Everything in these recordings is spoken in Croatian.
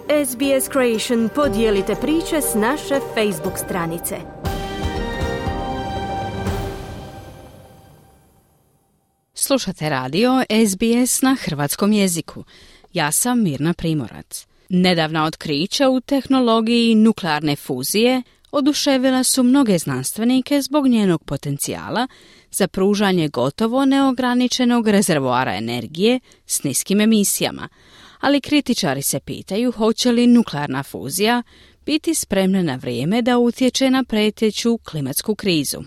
SBS Creation podijelite priče s naše Facebook stranice. Slušate radio SBS na hrvatskom jeziku. Ja sam Mirna Primorac. Nedavna otkrića u tehnologiji nuklearne fuzije oduševila su mnoge znanstvenike zbog njenog potencijala za pružanje gotovo neograničenog rezervoara energije s niskim emisijama, ali kritičari se pitaju hoće li nuklearna fuzija biti spremna na vrijeme da utječe na prijeteću klimatsku krizu.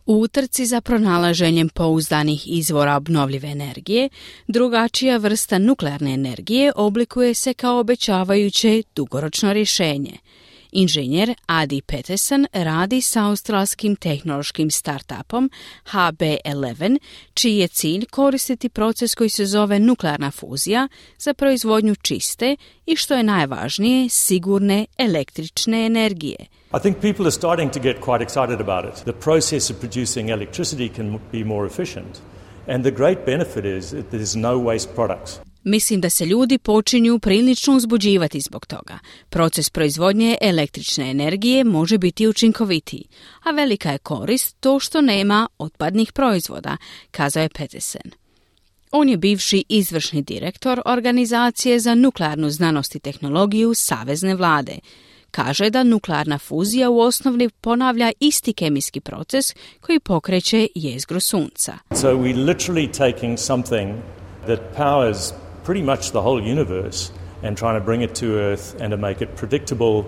U utrci za pronalaženjem pouzdanih izvora obnovljive energije, drugačija vrsta nuklearne energije oblikuje se kao obećavajuće dugoročno rješenje. Inženjer Adi Peterson radi s australskim tehnološkim startupom HB11, čiji je cilj koristiti proces koji se zove nuklearna fuzija za proizvodnju čiste i, što je najvažnije, sigurne električne energije. I think people are starting to get quite excited about it. The process of producing electricity can be more efficient, and the great benefit is that there is no waste products. Mislim da se ljudi počinju prilično uzbuđivati zbog toga. Proces proizvodnje električne energije može biti učinkovitiji, a velika je korist to što nema otpadnih proizvoda, kazao je Peterson. On je bivši izvršni direktor Organizacije za nuklearnu znanost i tehnologiju Savezne vlade. Kaže da nuklearna fuzija u osnovi ponavlja isti kemijski proces koji pokreće jezgru sunca. So we're literally taking something that powers pretty much the whole universe and trying to bring it to Earth and to make it predictable,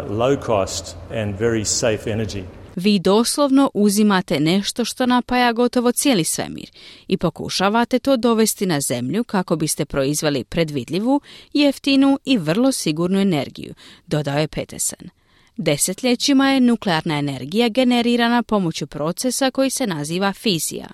low cost and very safe energy. Vi doslovno uzimate nešto što napaja gotovo cijeli svemir i pokušavate to dovesti na zemlju kako biste proizveli predvidljivu, jeftinu i vrlo sigurnu energiju, dodao je Peterson. Desetljećima je nuklearna energija generirana pomoću procesa koji se naziva fizija.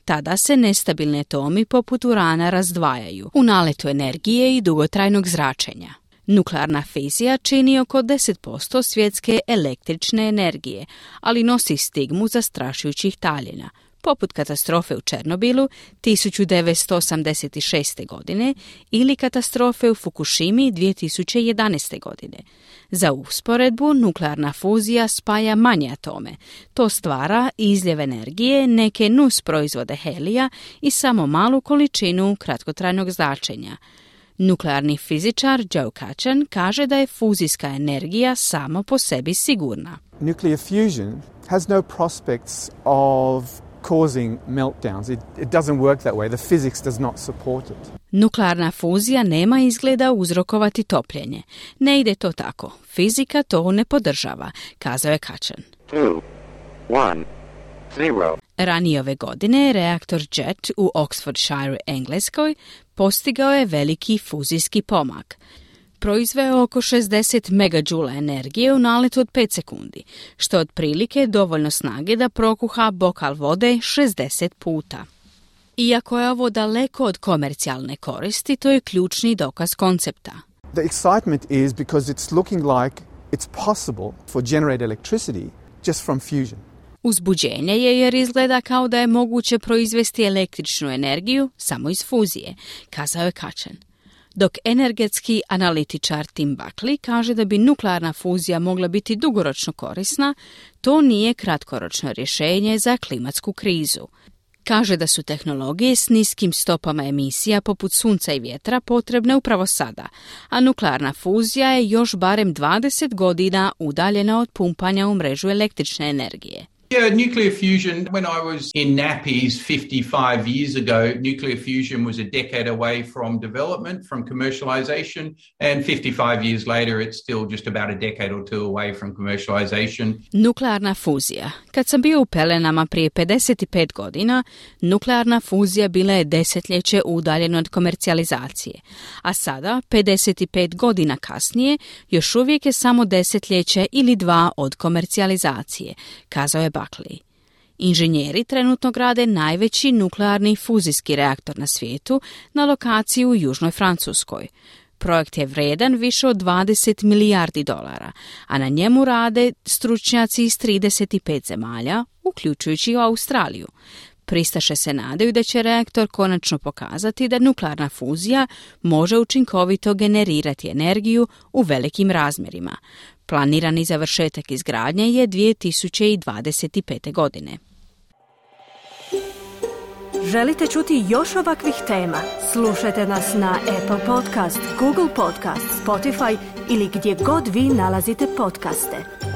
Tada se nestabilni atomi poput urana razdvajaju u naletu energije i dugotrajnog zračenja. Nuklearna fizija čini oko 10% svjetske električne energije, ali nosi stigmu zastrašujućih taljina, poput katastrofe u Černobilu 1986. godine ili katastrofe u Fukushimi 2011. godine. Za usporedbu, nuklearna fuzija spaja manje atome. To stvara izljev energije, neke nus proizvode helija i samo malu količinu kratkotrajnog zračenja. Nuklearni fizičar Joe Kachan kaže da je fuzijska energija samo po sebi sigurna. Nuclear fusion has no prospects of causing meltdowns. It doesn't work that way. The physics does not support it. Nuklearna fuzija nema izgleda uzrokovati topljenje. Ne ide to tako. Fizika to ne podržava, kazao je Kachan. 2, 1, 0. Ranije ove godine reaktor JET u Oxfordshire, Engleskoj, postigao je veliki fuzijski pomak. Proizveo oko 60 megađula energije u naletu od 5 sekundi, što je otprilike dovoljno snage da prokuha bokal vode 60 puta. Iako je ovo daleko od komercijalne koristi, to je ključni dokaz koncepta. The excitement is because it's looking like it's possible for generate electricity just from fusion. Uzbuđenje je jer izgleda kao da je moguće proizvesti električnu energiju samo iz fuzije, kazao je Kachan. Dok energetski analitičar Tim Buckley kaže da bi nuklearna fuzija mogla biti dugoročno korisna, to nije kratkoročno rješenje za klimatsku krizu. Kaže da su tehnologije s niskim stopama emisija poput sunca i vjetra potrebne upravo sada, a nuklearna fuzija je još barem 20 godina udaljena od pumpanja u mrežu električne energije. Yeah, nuclear fusion, when I was in nappies 55 years ago, nuclear fusion was a decade away from development, from commercialization, and 55 years later it's still just about a decade or two away from commercialization. Nuklearna fuzija. Kad sam bio u pelenama prije 55 godina, nuklearna fuzija bila je desetljeće udaljena od komercijalizacije, a sada, 55 godina kasnije, još uvijek je samo desetljeće ili 2 od komercijalizacije, kazao je Buckley. Inženjeri trenutno grade najveći nuklearni fuzijski reaktor na svijetu na lokaciji u Južnoj Francuskoj. Projekt je vredan više od 20 milijardi dolara, a na njemu rade stručnjaci iz 35 zemalja, uključujući i Australiju. Pristaše se nadaju da će reaktor konačno pokazati da nuklearna fuzija može učinkovito generirati energiju u velikim razmjerima. Planirani završetak izgradnje je 2025. godine. Želite čuti još ovakvih tema? Slušajte nas na Apple Podcast, Google Podcast, Spotify ili gdje god vi nalazite podcaste.